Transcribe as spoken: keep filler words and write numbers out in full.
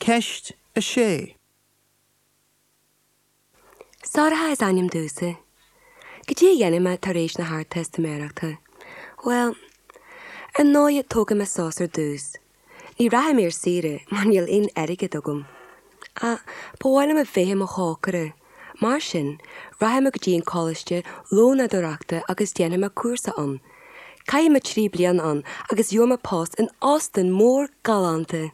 Ceist a sé. Sorcha is ainm domhsa. Cad é a dhéanfaidh mé tar éis na hArdteistiméireachta. Bhuel, ar ndóigh tógfaidh mé sos ar dtús. Ní rachaidh mé ar saoire mar níl aon airgead agam. Ach ba mhaith liom a bheith i mo chócaire. Mar sin, rachaidh mé go dtí an coláiste lónadóireachta agus déanfaidh mé cúrsa ann. Caithfidh mé trí bliana ann agus gheobhaidh mé post in óstán mór galánta.